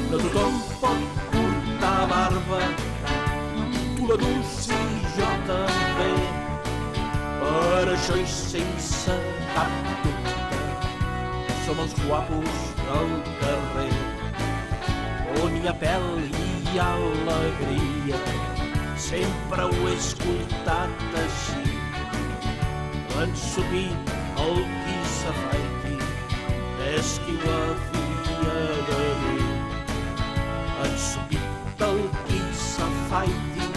No tothom pot portar barba, tu la dus i jo també. Per això i sense cap dubte som els guapos del carrer, on hi ha pèl i hi ha alegria. Sempre ho he escoltat així. Ensupir el qui s'afaiti és qui ho havia de dir. Ensupir el qui s'afaiti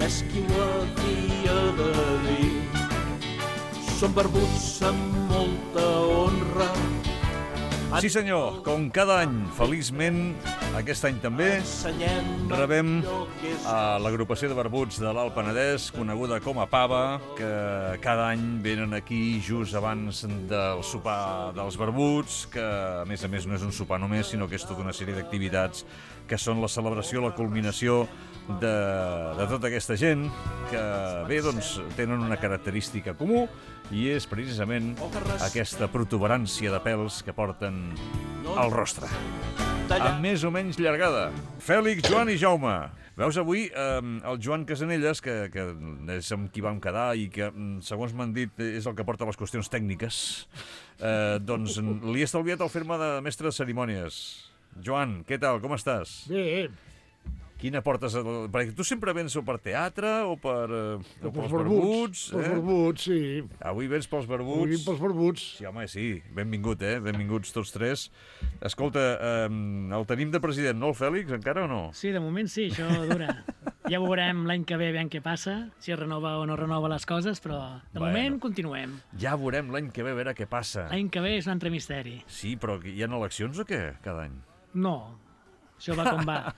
és qui ho havia de dir. Som barbuts amb molta honra. Sí senyor, com cada any, feliçment, aquest any també, rebem a l'agrupació de barbuts de l'Alt Penedès, coneguda com a Pava, que cada any venen aquí just abans del sopar dels barbuts, que a més no és un sopar només, sinó que és tota una sèrie d'activitats que són la celebració, la culminació de tota aquesta gent que, bé, doncs, tenen una característica comú i és precisament aquesta protuberància de pèls que porten al rostre. Amb més o menys llargada. Fèlix, Joan i Jaume. Veus, avui el Joan Casanelles, que és amb qui vam quedar i que, segons m'han dit, és el que porta les qüestions tècniques, doncs li he estalviat el fer-me de mestre de cerimònies. Joan, què tal? Com estàs? Bé. Quina portes? Perquè tu sempre vens o per teatre o pels barbuts. Pels barbuts, sí. Avui vens pels barbuts. Avui pels barbuts. Sí, home, sí. Benvingut, benvinguts tots tres. Escolta, el tenim de president, no, el Fèlix, encara o no? Sí, de moment sí, això dura. Ja veurem l'any que ve, veiem què passa, si es renova o no renova les coses, però de moment continuem. Ja veurem l'any que ve, a veure què passa. L'any que ve és un altre misteri. Sí, però hi ha eleccions o què, cada any? No, això va com va.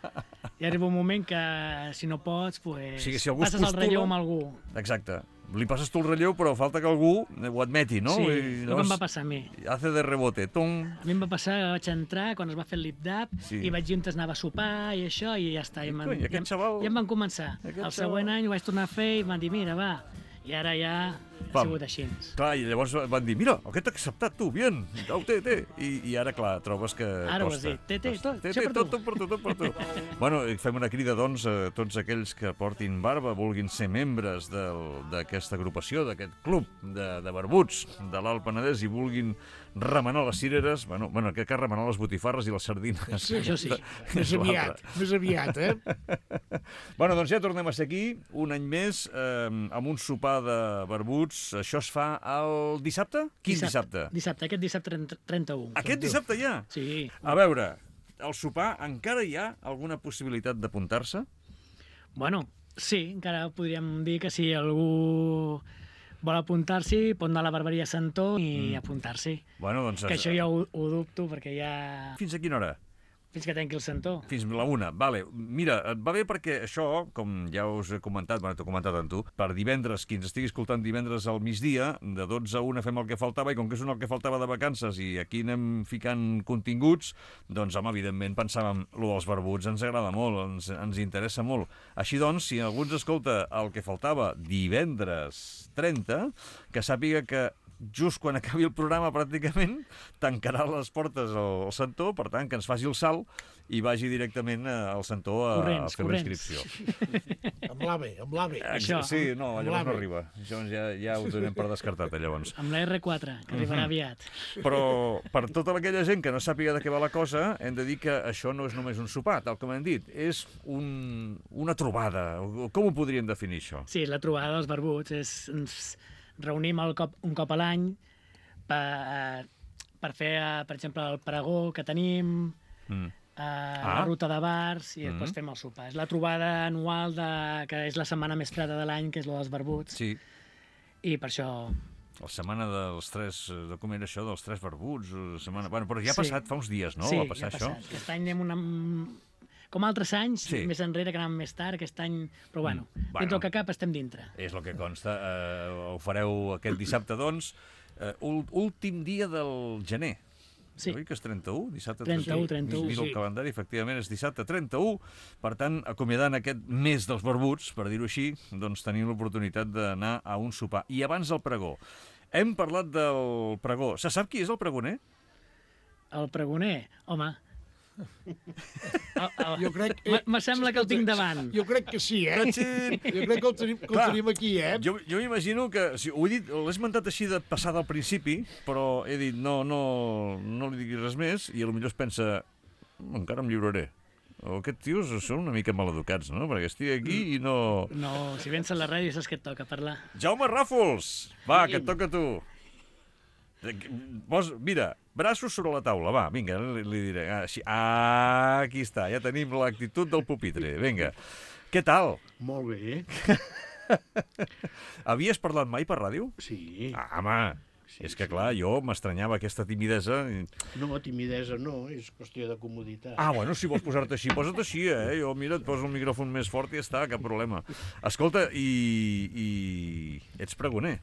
Hi arriba un moment que, si no pots, pues, sí, si passes el relleu amb algú. Exacte. Li passes tu el relleu, però falta que algú ho admeti, no? Sí, el que em va passar a mi. Hace de rebote. Tom. A mi em va passar que vaig entrar quan es va fer el lip-dap i vaig dir on anava a sopar i això, i ja està. I em van començar. El següent any ho vaig tornar a fer i em van dir, mira, va. I ara ja ha sigut així. Clar, i llavors van dir, mira, aquest t'ha acceptat tu, bien, té. I ara, clar, trobes que ara costa. Ara ho has dit, té, tot per tu. Bueno, fem una crida, doncs, a tots aquells que portin barba, vulguin ser membres d'aquesta agrupació, d'aquest club de barbuts de l'Alt Penedès i vulguin remenar les cireres, bueno, que remenar les botifarres i les sardines. Sí, això sí. Més aviat, Bueno, doncs ja tornem a ser aquí, un any més, amb un sopar de barbuts. Això es fa el dissabte? Quin dissabte? Dissabte, aquest dissabte 31. Aquest dissabte ja? Sí. A veure, el sopar encara hi ha alguna possibilitat d'apuntar-se? Bueno, sí, encara podríem dir que si algú vol apuntar-s'hi, pot anar a la barberia Santó i apuntar-s'hi. Bueno, doncs... Que això ja ho dubto, perquè ja... Fins a quina hora? Fins que tanqui el Santó. Fins a la 1, vale. Mira, et va bé perquè això, com ja us he comentat, t'ho he comentat amb tu, per divendres, qui ens estigui escoltant divendres al migdia, de 12 a 1 fem el que faltava, i com que és el que faltava de vacances i aquí anem ficant continguts, doncs, home, evidentment pensàvem, lo dels barbuts ens agrada molt, ens interessa molt. Així doncs, si algú ens escolta el que faltava divendres 30, que sàpiga que just quan acabi el programa, pràcticament, tancarà les portes al Santó, per tant, que ens faci el salt i vagi directament al Santó a fer la inscripció. Amb l'AVE. Sí, no, llavors no arriba. Això ja ho donem per descartat, llavors. Amb la R4, que arribarà aviat. Però per tota aquella gent que no sàpiga de què va la cosa, hem de dir que això no és només un sopar, tal com hem dit. És una trobada. Com ho podríem definir, això? Sí, la trobada dels barbuts és... Reunim un cop a l'any per fer, per exemple, el pregó que tenim, la ruta de bars i després fem el sopar. És la trobada anual que és la setmana més freda de l'any, que és la dels barbuts. Sí. I per això... La setmana dels tres, de com era això, dels tres barbuts, bueno, però ja ha passat fa uns dies, no? Sí, va passar ja ha passat. Això? Aquest any anem com altres anys, més enrere, que anàvem més tard, aquest any... Però bueno, dintre el que cap estem dintre. És el que consta. Ho fareu aquest dissabte, doncs, últim dia del gener. Sí. Oi que és 31? Dissabte 31. Mira el calendari, efectivament, és dissabte 31. Per tant, acomiadant aquest mes dels barbuts, per dir-ho així, doncs tenim l'oportunitat d'anar a un sopar. I abans del pregó. Hem parlat del pregó. Se sap qui és el pregoner? El pregoner? Home... Jo crec... Me sembla que el tinc davant. Jo crec que sí, Jo crec que el tenim aquí, Jo m'imagino que... Ho he dit, l'he esmentat així de passada al principi, però he dit no li diguis res més, i potser es pensa, encara em lliuraré. O aquests tios són una mica maleducats, no? Perquè estic aquí i no... No, si vens a la ràdio saps que et toca parlar. Jaume Ràfols! Va, que et toca a tu. Mira, braços sobre la taula, va, vinga, li diré. Aquí està, ja tenim l'actitud del pupitre. Vinga, què tal? Molt bé. Havies parlat mai per ràdio? Sí. Home, és que clar, jo m'estranyava aquesta timidesa. No, timidesa no, és qüestió de comoditat. Bueno, si vols posar-te així, posa't així, Jo, mira, et poso el micròfon més fort i ja està, cap problema. Escolta, i ets pregoner?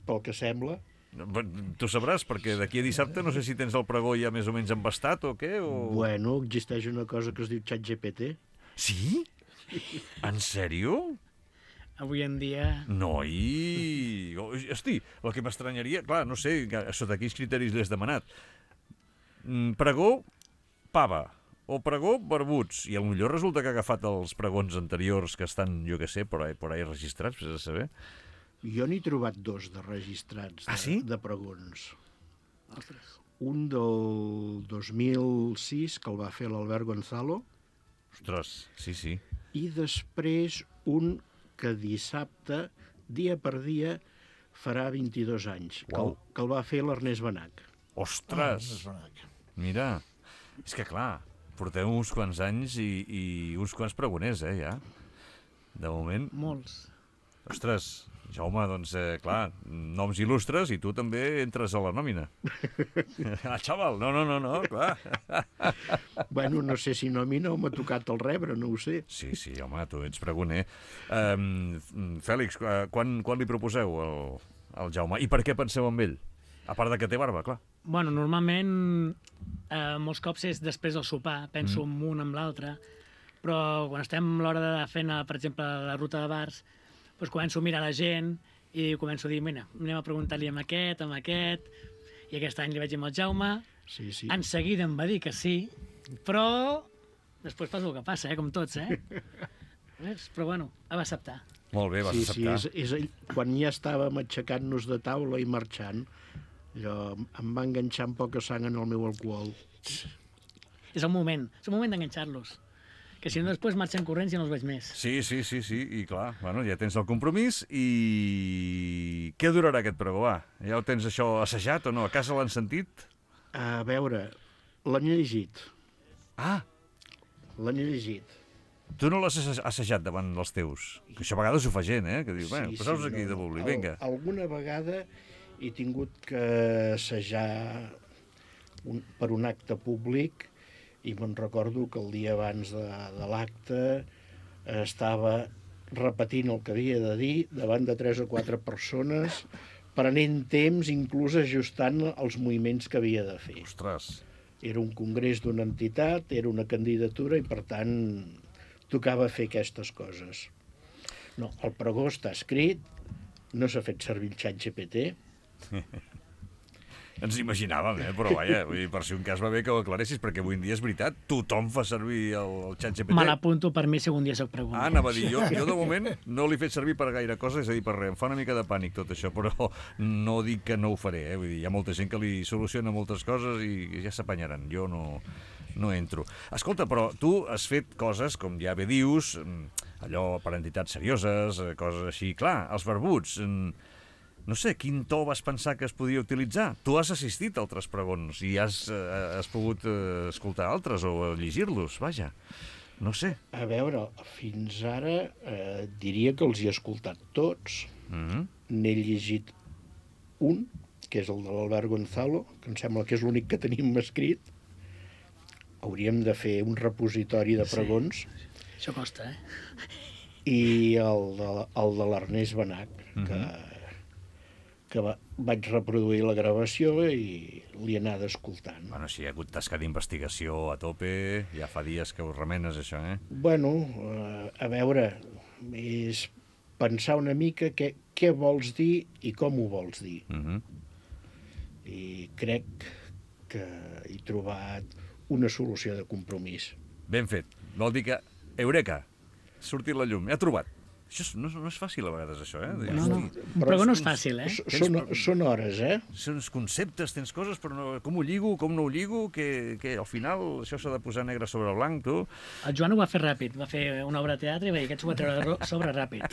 Pel que sembla. Tu sabràs, perquè d'aquí a dissabte no sé si tens el pregó ja més o menys embastat o què, o... Bueno, existeix una cosa que es diu ChatGPT. Sí? En sèrio? Avui en dia... Noi! Hosti, el que m'estranyaria... Clar, no sé, sota quins criteris l'has demanat. Pregó, pava. O pregó, barbuts. I potser resulta que ha agafat els pregons anteriors que estan, jo què sé, por ahí registrats, per saber. Jo n'he trobat dos de registrats de pregons. Ostres. Un del 2006, que el va fer l'Albert Gonzalo. Ostres, sí. I després un que dissabte, dia per dia, farà 22 anys, que el va fer l'Ernest Benach. Ostres! Mira, és que clar, porteu uns quants anys i uns quants pregoners, ja. De moment... Molts. Ostres, Jaume, doncs, clar, noms il·lustres i tu també entres a la nòmina. Xaval, no, clar. Bueno, no sé si nòmina o m'ha tocat el rebre, no ho sé. Sí, home, tu ets pregoner. Fèlix, quan li proposeu al Jaume? I per què penseu en ell? A part de que té barba, clar. Bueno, normalment, molts cops és després del sopar, penso en un, amb l'altre, però quan estem a l'hora de fer, per exemple, la ruta de bars, doncs començo a mirar la gent i començo a dir, mira, anem a preguntar-li amb aquest, i aquest any li vaig dir amb el Jaume, sí. En seguida em va dir que sí, però després passa el que passa, com tots, Però bueno, va acceptar. Molt bé, vas acceptar. Sí, quan ja estàvem aixecant-nos de taula i marxant, allò em va enganxar amb poca sang en el meu alcohol. És el moment d'enganxar-los. Que si no després marxen corrents i no els veig més. Sí, i clar, bueno, ja tens el compromís i... Què durarà aquest pregó, va? Ja ho tens això assajat o no? A casa l'han sentit? A veure, l'han llegit. L'han llegit. Tu no l'has assajat davant dels teus? Que això a vegades ho fa gent, que diu, passeu-vos aquí de Bubli, vinga. Alguna vegada he tingut que assajar per un acte públic i me'n recordo que el dia abans de l'acte estava repetint el que havia de dir davant de 3 o 4 persones, prenent temps, inclús ajustant els moviments que havia de fer. Ostres! Era un congrés d'una entitat, era una candidatura i, per tant, tocava fer aquestes coses. No, el pregó està escrit, no s'ha fet servir el ChatGPT. Ens imaginàvem, però vaja, per si un cas va bé que ho aclaressis, perquè avui en dia és veritat, tothom fa servir el ChatGPT. Me l'apunto per mi si algun dia soc pregunta. Anava a dir, jo de moment no l'he fet servir per gaire cosa, és a dir, per res. Em fa una mica de pànic tot això, però no dic que no ho faré, Vull dir, hi ha molta gent que li soluciona moltes coses i ja s'apanyaran. Jo no entro. Escolta, però tu has fet coses, com ja bé dius, allò per entitats serioses, coses així. Clar, els barbuts... No sé, quin to vas pensar que es podia utilitzar? Tu has assistit a altres pregons i has pogut escoltar altres o llegir-los, vaja. No sé. A veure, fins ara diria que els he escoltat tots. N'he llegit un, que és el de l'Albert Gonzalo, que em sembla que és l'únic que tenim escrit. Hauríem de fer un repositori de pregons. Sí. Això costa, I el de l'Ernest Benach, que vaig reproduir la gravació i li he anat escoltant. Bueno, si hi ha hagut tasca d'investigació a tope, ja fa dies que ho remenes, això, Bueno, a veure, és pensar una mica què vols dir i com ho vols dir. I crec que he trobat una solució de compromís. Ben fet. Vol dir que, eureka, ha sortit la llum, ha trobat. Això no és fàcil a vegades, això, eh? No. Un pregó no és fàcil, eh? Són hores, eh? Són conceptes, tens coses, però no, com ho lligo, com no ho lligo, que al final això s'ha de posar negre sobre blanc, tu. El Joan ho va fer ràpid, va fer una obra de teatre i va dir que ho va treure sobre ràpid.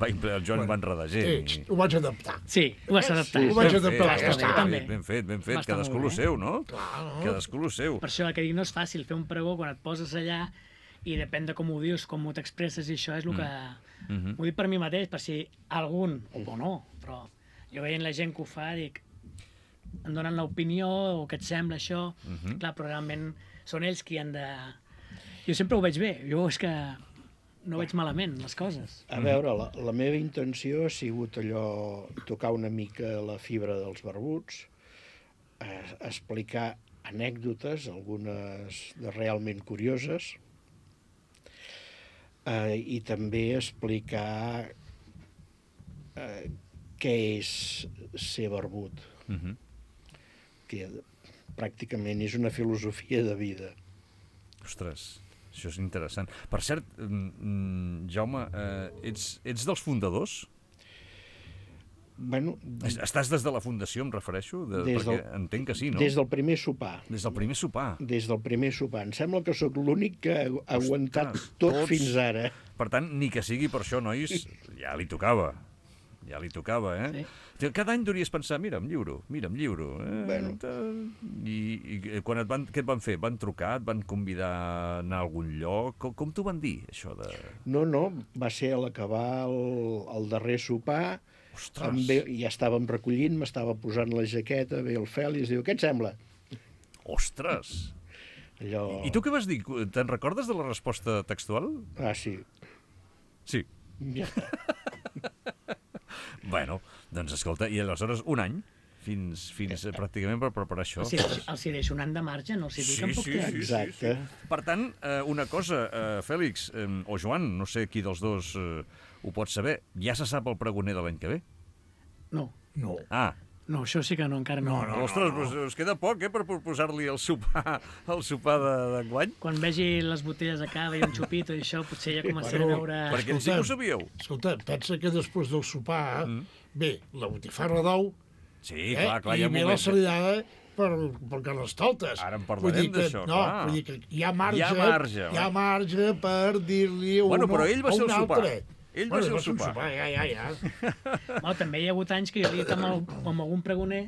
El Joan va enredar gent. Sí, ho vaig adaptar. Sí, ho vas adaptar. Ho vaig adaptar, ja està. Ben fet. Cadascú lo seu, no? Cadascú lo seu. Per això que dic, no és fàcil fer un pregó quan et poses allà i depèn de com ho dius, com ho t'expresses, i això és el que... M'ho dic per mi mateix, per si algun, o no, però jo veient la gent que ho fa, dic, em donen l'opinió, o què et sembla això, clar, però realment són ells qui han de... Jo sempre ho veig bé, jo és que no veig malament les coses. A veure, la meva intenció ha sigut allò, tocar una mica la fibra dels barbuts, explicar anècdotes, algunes realment curioses, i també explicar què és ser barbut, que pràcticament és una filosofia de vida. Ostres, això és interessant. Per cert, Jaume, ets dels fundadors? Bueno, estàs des de la fundació, em refereixo? Perquè entenc que sí, no? Des del primer sopar. Des del primer sopar? Des del primer sopar. Em sembla que sóc l'únic que ha aguantat tot fins ara. Per tant, ni que sigui per això, nois, ja li tocava. Ja li tocava, eh? Sí. Cada any deuries pensar, mira, em lliuro. Bueno. I quan què et van fer? Van trucar? Et van convidar a anar a algun lloc? Com t'ho van dir, això de...? No, va ser a l'acabar el darrer sopar. Ja estàvem recollint, m'estava posant la jaqueta, ve el Fèlix, diu, què et sembla? Ostres! Allò... I tu què vas dir? Te'n recordes de la resposta textual? Ah, sí. Sí. Ja està. Bueno, doncs escolta, i aleshores un any, fins pràcticament per preparar això. Els hi deixo un any de marge, no els hi dic en poc temps. Exacte. Per tant, una cosa, Fèlix, o Joan, no sé qui dels dos ho pot saber, ja se sap el pregoner de l'any que ve? No. No, això sí que no, encara no. Ostres, us queda poc, per posar-li el sopar d'enguany? Quan vegi les botelles de cava i un xupito i això, potser ja començaré a veure... Perquè sí que ho sabíeu. Escolta, pensa que després del sopar ve la botifarra d'ou, sí, clar, hi ha i ve la salidada per Carnestoltes. Ara en parlarem d'això, clar. Vull dir que hi ha marge per dir-li a un altre. Ell va ser el sopar. Ja. També hi ha hagut anys que jo he dit amb algun pregoner,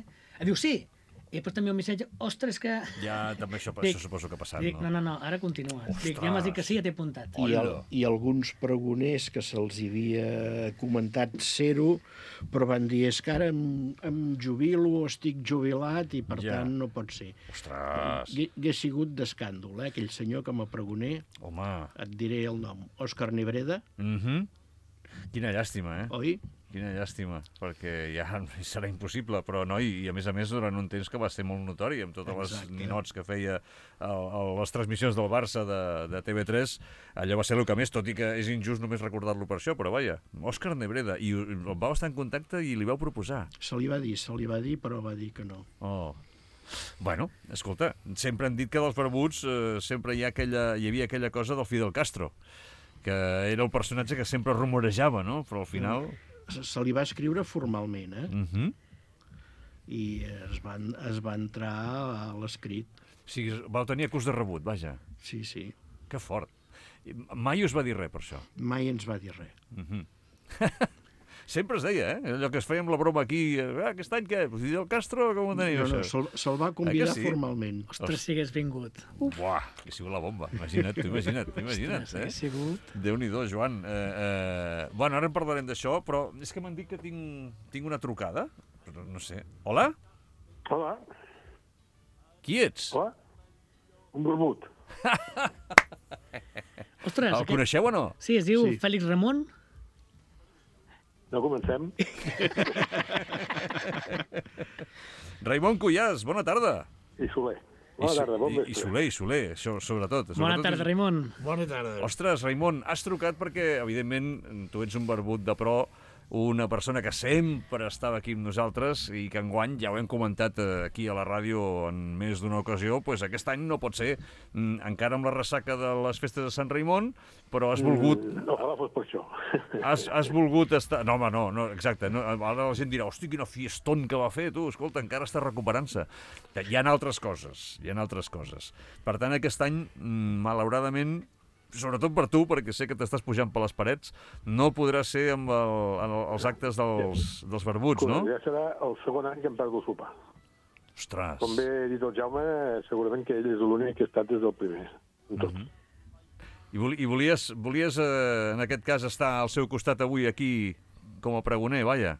diu sí, i després també un missatge, ostres, que... Ja, també això suposo que ha passat, no? No, ara continues. Dic, ja m'has dit que sí, ja t'he apuntat. I alguns pregoners que se'ls havia comentat ser-ho, però van dir, és que ara em jubilo, estic jubilat, i per tant no pot ser. Ostres! Hauria sigut d'escàndol, aquell senyor com a pregoner. Home! Et diré el nom. Òscar Nebreda. Quina llàstima, Oi? Quina llàstima, perquè ja serà impossible, però no, i a més durant un temps que va ser molt notori, amb totes les ninots que feia les transmissions del Barça de TV3, allò va ser el que més, tot i que és injust només recordar-lo per això, però vaja, Òscar Nebreda, i el vau estar en contacte i li vau proposar. Se li va dir, però va dir que no. Bueno, escolta, sempre han dit que dels barbuts sempre hi havia aquella cosa del Fidel Castro, que era el personatge que sempre rumorejava, no? Però al final... Se li va escriure formalment, i es va entrar a l'escrit. O sigui, vau tenir acús de rebut, vaja. Sí. Que fort. Mai us va dir res per això? Mai ens va dir res. Sempre es deia, allò que es feia amb la broma aquí, aquest any què? Fidel Castro, com ho teniu, això? Se'l va convidar formalment. Ostres, si hagués vingut. Buah, que ha sigut la bomba. Imagina't. Ostres, sigut. Déu-n'hi-do, Joan. Bueno, ara en parlarem d'això, però és que m'han dit que tinc una trucada. No sé. Hola? Hola. Qui ets? Hola. Un barbut. Ostres. El coneixeu o no? Sí, es diu Fèlix Ramon. No comencem. Raimon Cuyàs, bona tarda. I Soler. Bona tarda, bon vespre. I Soler, això, sobretot. Bona tarda, Raimon. Bona tarda. Ostres, Raimon, has trucat perquè, evidentment, tu ets un barbut de pro una persona que sempre estava aquí amb nosaltres i que enguany, ja ho hem comentat aquí a la ràdio en més d'una ocasió, doncs aquest any no pot ser, encara amb la ressaca de les festes de Sant Raimon, però has volgut... Ojalà fos per això. Has volgut estar... No, home, no, exacte. No, ara la gent dirà, hosti, quina fiestón que va fer, tu, escolta, encara està recuperant-se. Hi ha altres coses, Per tant, aquest any, malauradament, sobretot per tu, perquè sé que t'estàs pujant per les parets, no podrà ser amb els actes dels barbuts, no? Ja serà el segon any que em perdo el sopar. Ostres! Com bé ha dit el Jaume, segurament que ell és l'únic que ha estat des del primer, en tot. I volies, en aquest cas, estar al seu costat avui aquí com a pregoner, vaja?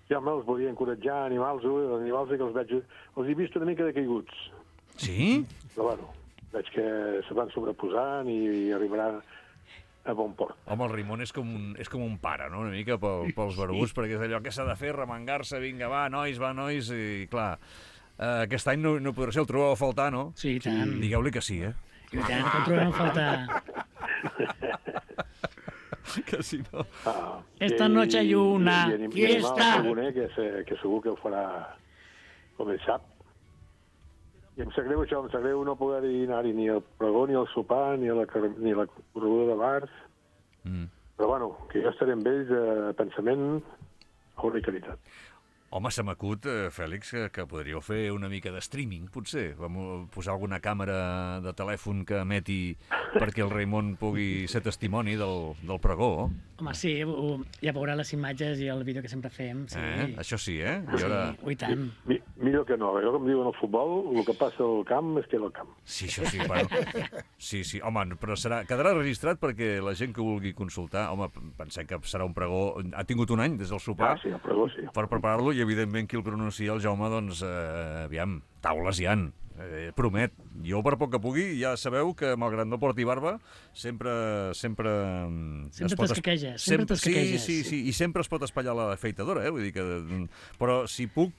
Ja, home, els volia encoratjar, animals que els veig... Els he vist una mica decaiguts. Sí? Però, bueno, veig que se van sobreposant i arribaran a bon port. Home, el Raimon és com un pare, no?, una mica pels barbuts, perquè és allò que s'ha de fer, remengar-se, vinga, va, nois, i clar, aquest any no podrà ser, el trobeu a faltar, no? Sí, i tant. Digueu-li que sí, I tant, que el trobem a faltar. Que si no... Esta noche hay una fiesta. Que segur que ho farà com ell sap. I em sap greu no poder anar-hi ni al pregó, ni al sopar, ni a la correguda de bars. Però, bueno, que jo estaré amb ells a pensament, hora i caritat. Home, se m'acut, Fèlix, que podríeu fer una mica de streaming, potser. Vam posar alguna càmera de telèfon que emeti perquè el Raimon pugui ser testimoni del pregó. Home, sí, ja veurà les imatges i el vídeo que sempre fem. Sí. Això sí, eh? Sí, i tant. Millor que no. Allò com diuen al futbol, el que passa al camp es queda al camp. Sí, això sí, bueno. Sí, home, però quedarà registrat perquè la gent que vulgui consultar, home, pensem que serà un pregó... Ha tingut un any des del sopar sí, el pregó, sí. Per preparar-lo i, evidentment, qui el pronuncia, el Jaume, doncs, aviam, taules hi han. Promet. Jo, per poc que pugui, ja sabeu que, malgrat no porti barba, sempre t'escaqueges. Sí, i sempre es pot espatllar la afeitadora, vull dir que... Però si puc,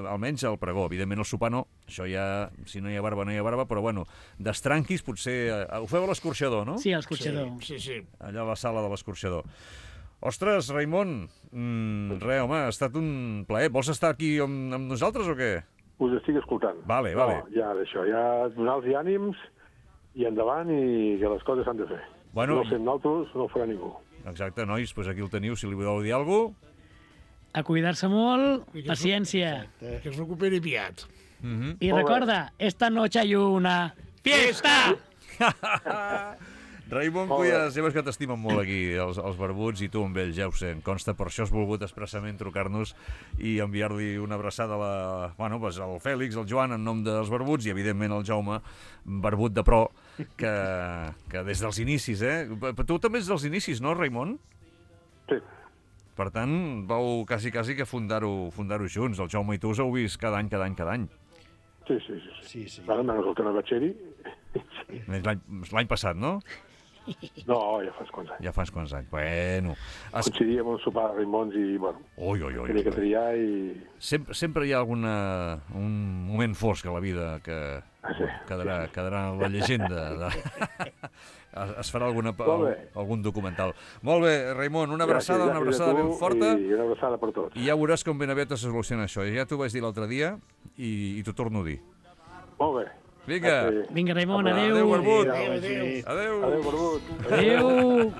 almenys al pregó. Evidentment, el sopar no. Això ja, si no hi ha barba, no hi ha barba, però, bueno, d'estranquis, potser... Ho feu a l'escorxador, no? Sí, a l'escorxador. Sí. Allà a la sala de l'escorxador. Ostres, Raimon, res, home, ha estat un plaer. Vols estar aquí amb nosaltres o què? Us estic escoltant. Vale. No, ja d'això, ja donar-los ànims i endavant i que les coses s'han de fer. Bueno, no fem nosaltres, no ho farà ningú. Exacte, nois, doncs aquí el teniu, si li voleu dir alguna cosa. A cuidar-se molt, paciència. Que es recuperi aviat. I recorda, esta noche hay una fiesta! Raimon Cuyas, ja veus que t'estimen molt aquí, els barbuts, i tu amb ells, ja ho sé, em consta, per això has volgut expressament trucar-nos i enviar-li una abraçada al Fèlix, al Joan, en nom dels barbuts, i evidentment al Jaume, barbut de pro, que des dels inicis, Tu també ets dels inicis, no, Raimon? Sí. Per tant, vau quasi que fundar-ho junts, el Jaume i tu us heu vist cada any. Sí. Ara menys el tema batxeri. L'any passat, no? No, ja fa uns quants anys. Bueno. Coincidíem un sopar de Raimons i, bueno, tenia que triar i... Sempre hi ha un moment fosc a la vida que quedarà en la llegenda. Es farà algun documental. Molt bé, Raimon, una abraçada ben forta. I una abraçada per tots. I ja veuràs com ben aviat es soluciona això. Ja t'ho vaig dir l'altre dia i t'ho torno a dir. Molt bé. Vinga, Raimon, adéu. Adéu, Barbut. Adéu, Barbut. Adéu.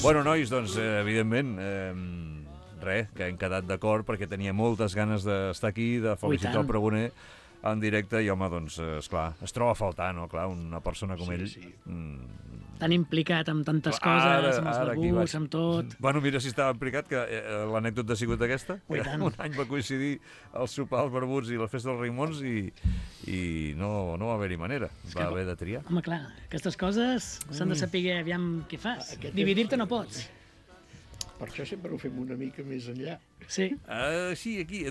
Bueno, nois, doncs, evidentment, que hem quedat d'acord perquè tenia moltes ganes d'estar aquí, de felicitar el pregoner en directe i, home, doncs, esclar, es troba a faltar, no? Clar, una persona com ell... Tan implicat amb tantes coses, amb els barbuts, amb tot. Bueno, mira si estava implicat, que l'anècdota ha sigut aquesta. Un any va coincidir el sopar als barbuts i la festa dels Raimons i no va haver-hi manera. Va haver de triar. Home, clar, aquestes coses s'han de saber aviam què fas. Dividir-te no pots. Per això sempre ho fem una mica més enllà. Sí. Sí, aquí,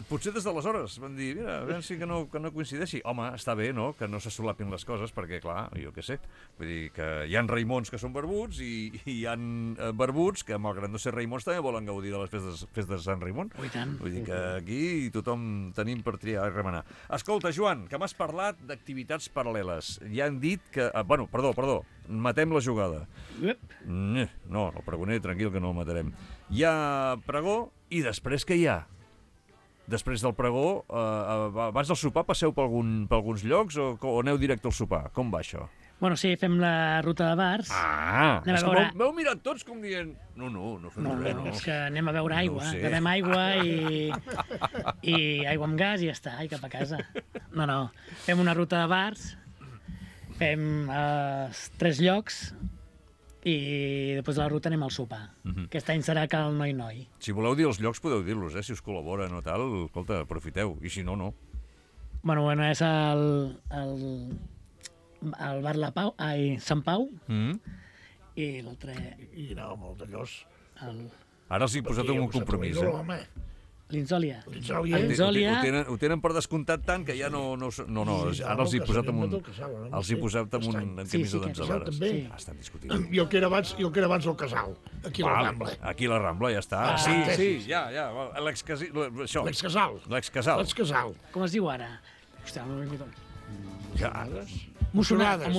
potser des d'aleshores van dir, mira, a veure si que no coincideixi. Home, està bé, no?, que no se solapin les coses, perquè, clar, jo què sé, vull dir que hi ha Raimons que són barbuts i hi ha barbuts que, malgrat no ser Raimons, també volen gaudir de les festes de Sant Raimon. Oh, i tant. Vull dir que aquí tothom tenim per triar i remenar. Escolta, Joan, que m'has parlat d'activitats paral·leles. Ja han dit que... Bueno, perdó, matem la jugada. No, el pregoner, tranquil, que no el matarem. Hi ha pregó i després què hi ha? Després del pregó, abans del sopar passeu per alguns llocs o aneu directe al sopar? Com va això? Bueno, sí, fem la ruta de bars. És que m'heu mirat tots com dient... No fem res. No, és que anem a beure aigua. Bevem aigua i aigua amb gas i ja està, i cap a casa. No, fem una ruta de bars, fem 3 llocs, i després de la ruta anem al sopar. Aquest any serà Cal Noi. Si voleu dir els llocs, podeu dir-los, si us col·laboren o tal. Escolta, aprofiteu, i si no, no. Bueno, és el bar Sant Pau, i l'altre... I anava molt d'allòs. Ara els he posat en un compromís, L'Inzòlia. Ho tenen per descomptat tant que ja no... Ara els he posat en un... Els he posat en un camisa d'enzelades. Estan discutint. Jo que era abans el Casal, aquí a la Rambla. Aquí a la Rambla, ja està. Sí, ja. L'ex-Casal. Com es diu ara? Hòstia, no m'he dit... Mocionades.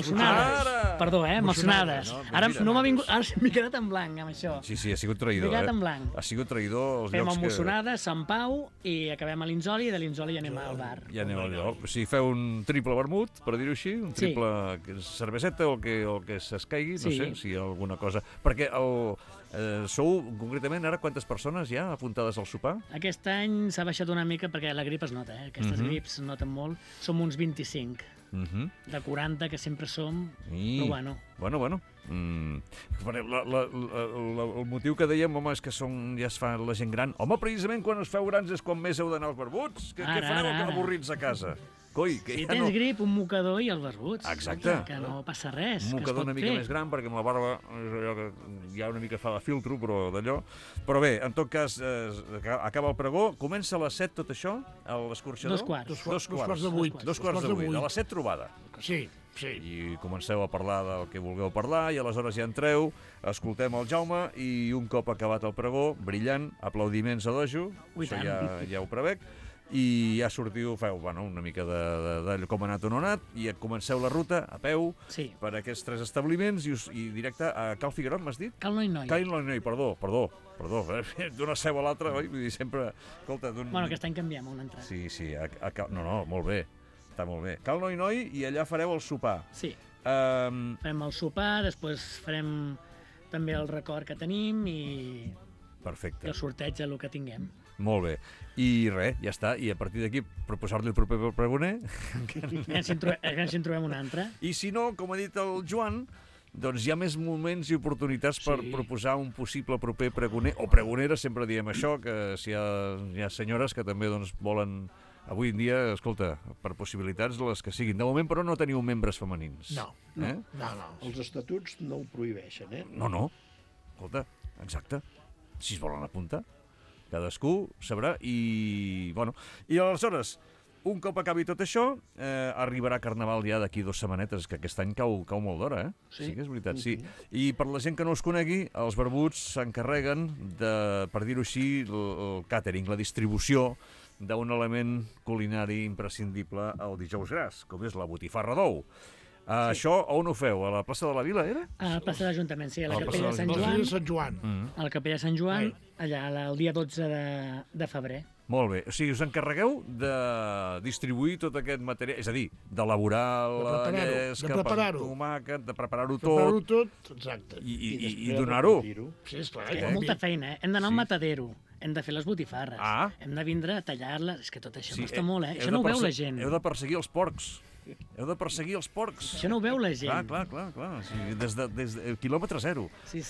Perdó, mocionades. Ara no m'ha vingut... Ara m'he quedat en blanc amb això. Sí, ha sigut traïdor. M'he quedat en blanc. Ha sigut traïdor els llocs que... Fem mocionades, Sant Pau, i acabem a l'Inzoli, i de l'Inzoli anem al bar. Ja aneu al lloc. O sigui, feu un triple vermut, per dir-ho així, un triple cerveseta o el que s'escaigui, no sé si hi ha alguna cosa. Perquè sou, concretament, ara quantes persones hi ha apuntades al sopar? Aquest any s'ha baixat una mica perquè la grip es nota, aquestes grips es noten molt. Som uns 25. De 40 que sempre som, però bueno. El motiu que dèiem, home, és que ja es fa la gent gran. Home, precisament quan us feu grans és quan més heu d'anar als barbuts. Què fareu avorrits a casa? Coi, que si tens grip, un mocador i els barbuts. Exacte. Que no passa res. Un mocador una mica més gran, perquè amb la barba ja una mica fa de filtro, però d'allò. Però bé, en tot cas, acaba el pregó, comença a les 7 tot això, a l'escorxador? 2 quarts de 8. 2 quarts de 8, a les 7 trobada. Sí. I comenceu a parlar del que vulgueu parlar i aleshores ja entreu, escoltem el Jaume i un cop acabat el pregó, brillant, aplaudiments a dojo, això ja ho prevec, i ja sortiu, feu una mica de com ha anat o no ha anat, i comenceu la ruta a peu per aquests 3 establiments i directe a Cal Figuerot, m'has dit? Cal Noi, perdó, d'una seu a l'altra, oi? Vull dir, sempre... Bueno, aquest any canviem una entrada. Sí, no, molt bé, està molt bé. Cal Noi, i allà fareu el sopar. Sí, farem el sopar, després farem també el record que tenim i el sorteig del que tinguem. Molt bé. I res, ja està. I a partir d'aquí, proposar-li el proper pregoner. Ja ens en trobem un altre. I si no, com ha dit el Joan, doncs hi ha més moments i oportunitats per proposar un possible proper pregoner, o pregonera, sempre diem això, que si hi ha senyores que també volen... Avui en dia, escolta, per possibilitats les que siguin. De moment, però, no teniu membres femenins. No. Els estatuts no ho prohibeixen, No. Escolta, exacte. Si es volen apuntar. Cadascú sabrà i aleshores, un cop acabi tot això, arribarà Carnaval ja d'aquí 2 setmanetes, que aquest any cau molt d'hora, Sí que és veritat, sí. I per la gent que no us conegui, els barbuts s'encarreguen de, per dir-ho així, el càtering, la distribució d'un element culinari imprescindible el dijous gras, com és la botifarra d'ou. Això on ho feu? A la plaça de la Vila, era? A la plaça de l'Ajuntament, sí, a la Capella de Sant Joan. A la Capella de Sant Joan, allà el dia 12 de febrer. Molt bé. O sigui, us encarregueu de distribuir tot aquest material, és a dir, d'elaborar la llesca, el tomàquet, de preparar-ho tot. Preparar-ho tot, exacte. I donar-ho. Sí, esclar. És molta feina, Hem d'anar al matadero, hem de fer les botifarres, hem de vindre a tallar-les, és que tot això costa molt, Això no ho veu la gent. Heu de perseguir els porcs. Això no ho veu la gent. Clar. O sigui, des de quilòmetre zero. Sí.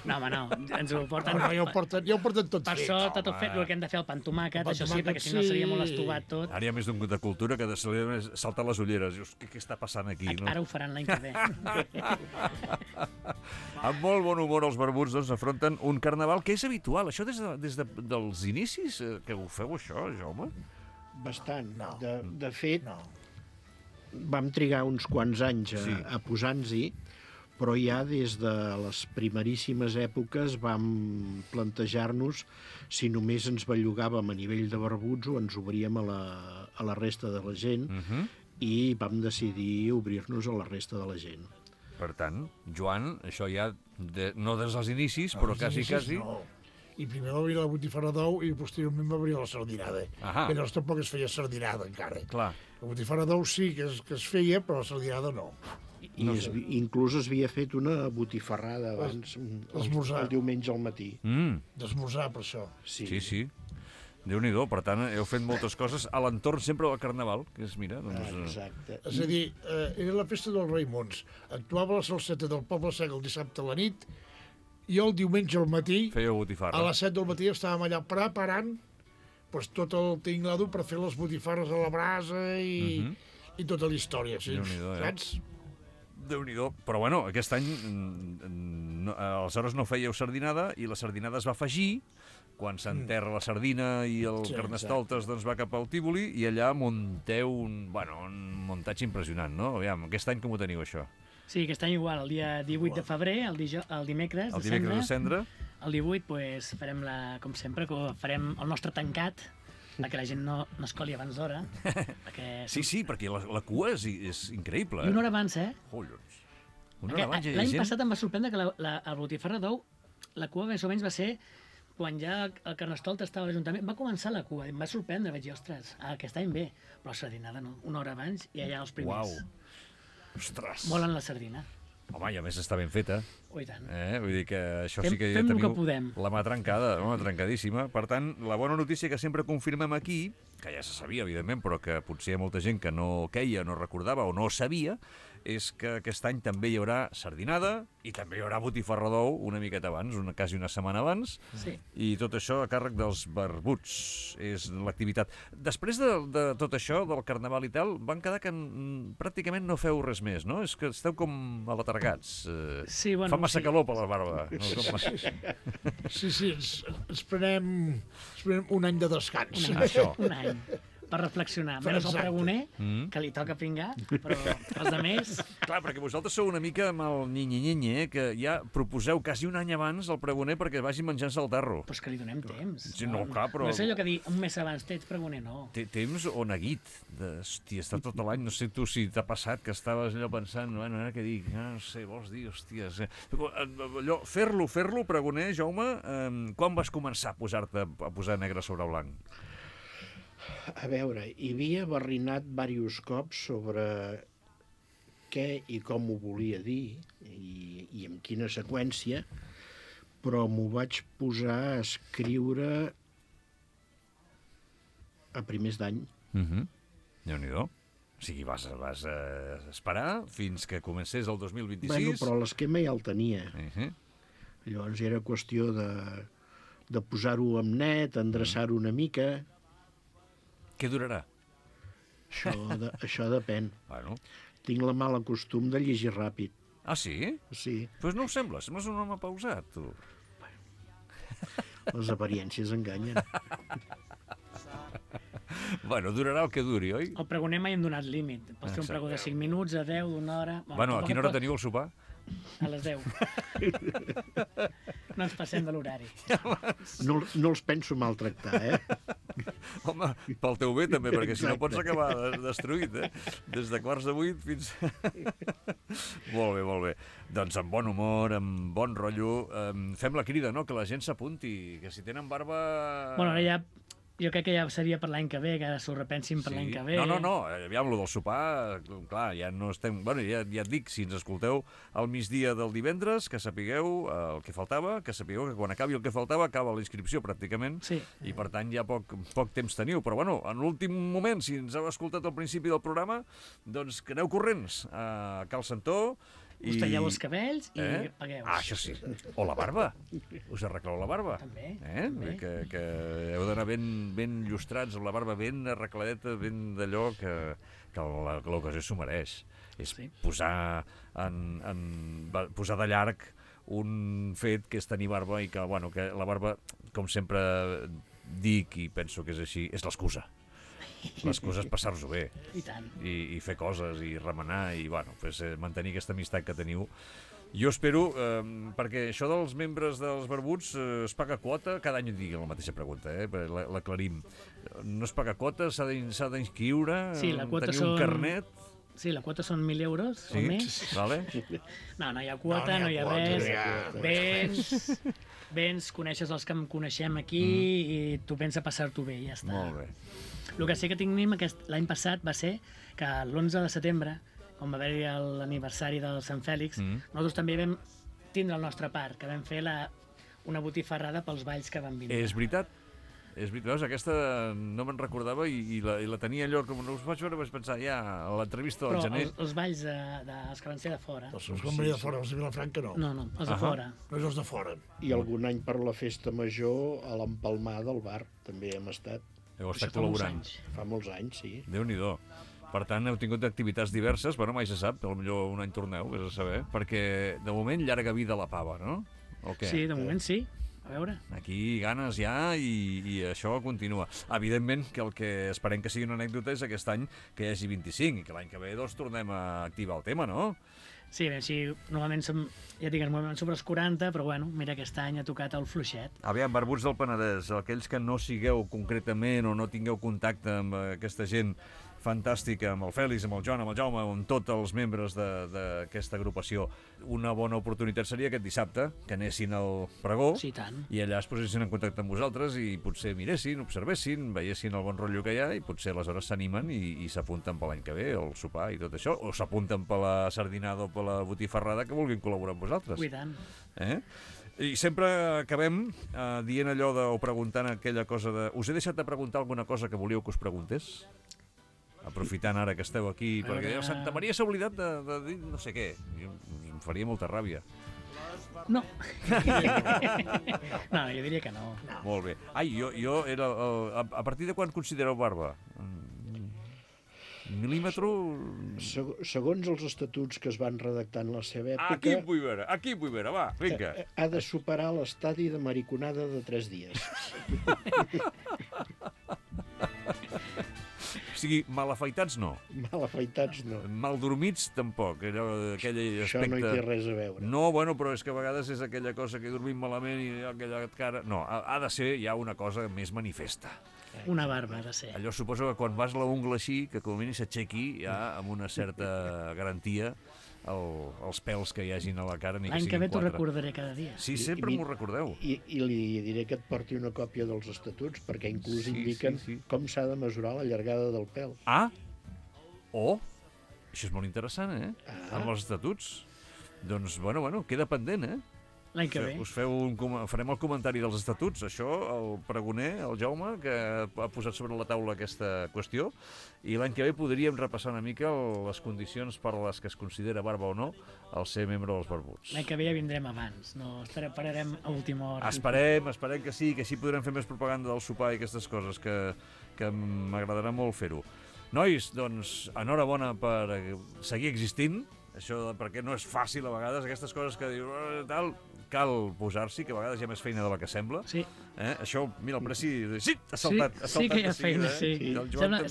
No, home, no. Ens ho porten... Ja ho porten tot fet. Per sort, tot fet, el que hem de fer el pa amb tomàquet, això sí, perquè si no seria molt estovat tot. Ara hi ha més de cultura que de saltar les ulleres. Dius, què està passant aquí? Ara ho faran l'any que ve. Amb molt bon humor els barbuts doncs afronten un carnaval que és habitual. Això des dels inicis que ho feu, això, Jaume? Bastant. De fet, vam trigar uns quants anys a posar-nos-hi, però ja des de les primeríssimes èpoques vam plantejar-nos si només ens bellugàvem a nivell de barbuts o ens obríem a la resta de la gent, i vam decidir obrir-nos a la resta de la gent. Per tant, Joan, això ja no des dels inicis, però quasi. No. I primer va obrir la botifarra d'ou i posteriorment va obrir la sardinada. Però tampoc es feia sardinada encara. Clar. La botifarra d'ou sí que es feia, però la sardinada no. Inclús es havia fet una botifarrada abans, el diumenge al matí. D'esmorzar, per això. Sí. Déu-n'hi-do, per tant, heu fet moltes coses a l'entorn sempre del Carnaval, que és, mira... Exacte. És a dir, era la festa dels Raimons. Actuava la salseta del Poble Sec el dissabte a la nit, i el diumenge al matí, fèieu botifarra. A les 7 del matí estàvem allà preparant tot el tinglado per fer les botifarres a la brasa i tota la història. Saps? Déu-n'hi-do. Però bueno, aquest any aleshores no fèieu sardinada i la sardinada es va afegir quan s'enterra la sardina i el Carnestoltes doncs, va cap al Tívoli i allà munteu un muntatge impressionant, no? Aviam, aquest any com ho teniu, això? Sí, aquest any igual, el dia 18 de febrer, el dimecres de Cendra. El 18, pues, farem, com sempre, farem el nostre tancat, perquè la gent no es coli abans d'hora. Sí, perquè la cua és increïble. I una hora abans, Collons. Una hora abans. L'any passat em va sorprendre que la botifarra d'ou, la cua més o menys va ser quan ja el Carnestoltes estava a l'Ajuntament, va començar la cua, em va sorprendre, vaig dir, ostres, aquest any bé, però la sardinada no, una hora abans i allà els primers. Uau, ostres. Volen la sardina. Home, i a més està ben feta. Oh, i tant. Vull dir que això sí que ja teniu teniu la mà trencada, trencadíssima. Per tant, la bona notícia que sempre confirmem aquí, que ja se sabia, evidentment, però que potser hi ha molta gent que no queia, no recordava o no sabia, és que aquest any també hi haurà sardinada i també hi haurà botifarra d'ou una miqueta abans, quasi una setmana abans, i tot això a càrrec dels barbuts és l'activitat. Després de tot això, del Carnaval i tal, van quedar que pràcticament no feu res més, no? És que esteu com alatargats. Fa massa calor per la barba. Sí, ens prenem un any de descans. Un any. Per reflexionar. Menys el pregoner, que li toca pingar, però els altres... Clar, perquè vosaltres sou una mica amb el nyi-nyi-nyi, que ja proposeu quasi un any abans el pregoner perquè vagi menjant-se el tarro. Però és que li donem temps. Sí, no, clar, però... No és allò que dir un mes abans ets pregoner, no. Temps o neguit. Hòstia, està tot l'any, no sé tu si t'ha passat que estaves allò pensant, bueno, ara què dic? No sé, vols dir, hòsties... Allò, fer-lo, pregoner, Jaume, quan vas començar a posar negre sobre blanc? A veure, hi havia barrinat diversos cops sobre què i com ho volia dir i en quina seqüència, però m'ho vaig posar a escriure a primers d'any. Déu-n'hi-do. O sigui, vas esperar fins que comencés el 2026. Bueno, però l'esquema ja el tenia. Llavors era qüestió de posar-ho amb net, endreçar-ho una mica... Què durarà? Això depèn. Bueno. Tinc la mala costum de llegir ràpid. Ah, sí? Sí. Doncs no ho sembles un home pausat, tu. Les apariències enganyen. Bueno, durarà el que duri, oi? El pregoner mai hem donat límit. Pots fer un pregó de 5 minuts, a 10, d'una hora... Bueno, a quina hora teniu el sopar? A les 10. No ens passem de l'horari. No els penso maltractar, Home, pel teu bé també, perquè si no pots acabar destruït, Des de 7:15 fins... Molt bé. Doncs amb bon humor, amb bon rotllo, fem la crida, no?, que la gent s'apunti, que si tenen barba... Bueno, ara ja... Jo crec que ja seria per l'any que ve, que ara s'ho repensin per l'any que ve. No, aviam, lo del sopar, clar, ja no estem... Bueno, ja et dic, si ens escolteu al migdia del divendres, que sapigueu el que faltava, que sapigueu que quan acabi el que faltava, acaba la inscripció pràcticament, i per tant ja poc temps teniu. Però bueno, en l'últim moment, si ens heu escoltat al principi del programa, doncs que aneu corrents a Cal Santó, us talleu els cabells i pagueu. Ah, això sí. O la barba. Us arregleu la barba. També. Que heu d'anar ben llustrats, amb la barba ben arregladeta, ben d'allò que l'ocasió s'ho mereix. És posar de llarg un fet que és tenir barba i que, bueno, que la barba, com sempre dic i penso que és així, és l'excusa. L'excusa és passar-s'ho bé. I tant. I fer coses, i remenar, i bueno, pues, mantenir aquesta amistat que teniu. Jo espero, perquè això dels membres dels barbuts es paga quota, cada any digui la mateixa pregunta, l'aclarim. No es paga quota, s'ha d'inscriure, tenir un carnet... Sí, la quota són 1.000 euros o més. Vale. No hi ha quota, no hi ha res. Vens, coneixes els que em coneixem aquí i tu vens a passar-t'ho bé i ja està. Molt bé. El que sí que tenim l'any passat va ser que l'11 de setembre, quan va haver-hi l'aniversari del Sant Fèlix, nosaltres també vam tindre el nostre part, que vam fer una botifarrada pels balls que van vindre. És veritat. Veus, aquesta no me'n recordava i la tenia allò, com no us vaig veure, vaig pensar, ja, a l'entrevista del gener... Però els balls els que van ser de fora... Els que van venir de fora, els de Vilafranca no. No, els de fora. No és els de fora. I algun any per la festa major a l'empalmar del bar també hem estat. Heu estat col·laborant. Fa molts anys, sí. Déu-n'hi-do. Per tant, heu tingut activitats diverses, bueno, mai se sap, potser un any torneu, vés a saber, perquè de moment llarga vida a la pava, no? O què? Sí, de moment sí. A veure. Aquí ganes ja i això continua. Evidentment que el que esperem que sigui una anècdota és aquest any que hi hagi 25 i que l'any que ve doncs tornem a activar el tema, no? Sí, normalment som, ja digues, sobre els 40, però bueno, mira, aquest any ha tocat el fluixet. Aviam, barbuts del Penedès, aquells que no sigueu concretament o no tingueu contacte amb aquesta gent fantàstica, amb el Fèlix, amb el Joan, amb el Jaume, amb tots els membres d'aquesta agrupació. Una bona oportunitat seria aquest dissabte, que anessin al pregó, sí, tant. I allà es posessin en contacte amb vosaltres i potser miressin, observessin, veiessin el bon rotllo que hi ha i potser aleshores s'animen i s'apunten per l'any que ve, el sopar i tot això, o s'apunten per la sardinada o per la botifarrada que vulguin col·laborar amb vosaltres. I tant. I sempre acabem dient allò o preguntant aquella cosa de... Us he deixat de preguntar alguna cosa que volíeu que us preguntés? Aprofitant ara que esteu aquí, perquè Santa Maria s'ha oblidat de dir no sé què. Em faria molta ràbia. No. No, jo diria que no. Molt bé. Ai, jo era... A partir de quan considereu barba? Mil·límetre... Segons els estatuts que es van redactar en la seva època... Aquí em vull veure, va, vinga. Ha de superar l'estadi de mariconada de 3 dies. O sigui, mal afaitats no. Mal afaitats no. Mal dormits tampoc. Aquell això aspecte... no hi té res a veure. No, bueno, però és que a vegades és aquella cosa que dormim malament i aquella cara... No, ha de ser ja una cosa més manifesta. Una barba ha de ser. Allò suposo que quan vas la ungla així, que com a mínim s'aixequi ja amb una certa garantia els pèls que hi hagin a la cara, ni que siguin 4. L'any que ve t'ho recordaré cada dia. Sí, sempre m'ho recordeu. I li diré que et porti una còpia dels estatuts, perquè inclús indiquen com s'ha de mesurar la llargada del pèl. Això és molt interessant, amb els estatuts. Doncs, bueno, queda pendent, L'any que ve. Farem el comentari dels estatuts. Això, el pregoner, el Jaume, que ha posat sobre la taula aquesta qüestió, i l'any que ve podríem repassar una mica les condicions per les que es considera barba o no el ser membre dels barbuts. L'any que ve ja vindrem abans, no esperarem a última hora. Esperem que sí, que així podrem fer més propaganda del sopar i aquestes coses, que m'agradarà molt fer-ho. Nois, doncs, enhorabona per seguir existint, això perquè no és fàcil a vegades, aquestes coses que dius, tal, cal posar-s'hi, que a vegades hi ha més feina de la que sembla. Sí. Això, mira, el Preci, sí, ha saltat. Sí que hi ha feina, sí.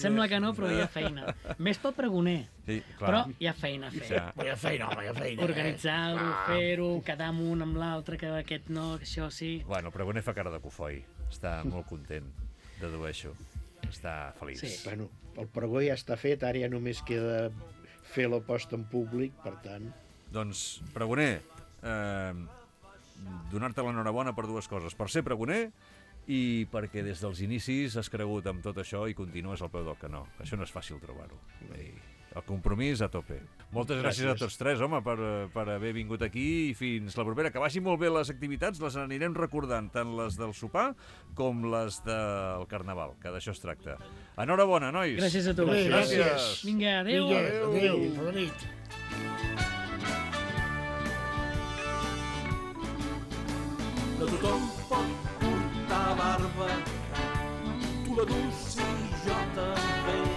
Sembla que no, però hi ha feina. Més pel pregoner. Sí, clar. Però hi ha feina a fer. Hi ha feina, home, hi ha feina. Organitzar-ho, fer-ho, quedar amb un amb l'altre, que aquest no, que això sí. Bueno, el pregoner fa cara de cofoi. Està molt content, dedueixo. Està feliç. Sí. Bueno, el pregó ja està fet, ara ja només queda fer la posta en públic, per tant... Doncs, pregoner, donar-te l'enhorabona per 2 coses. Per ser pregoner i perquè des dels inicis has cregut amb tot això i continues al peu del canó. Això no és fàcil trobar-ho. El compromís a tope. Moltes gràcies a tots 3, home, per haver vingut aquí i fins la propera. Que vagin molt bé les activitats, les anirem recordant, tant les del sopar com les del Carnaval, que d'això es tracta. Enhorabona, nois! Gràcies a tu. Gràcies. Vinga, adéu. Adéu, bona nit. No tothom pot portar barba, tu la dus i jo també.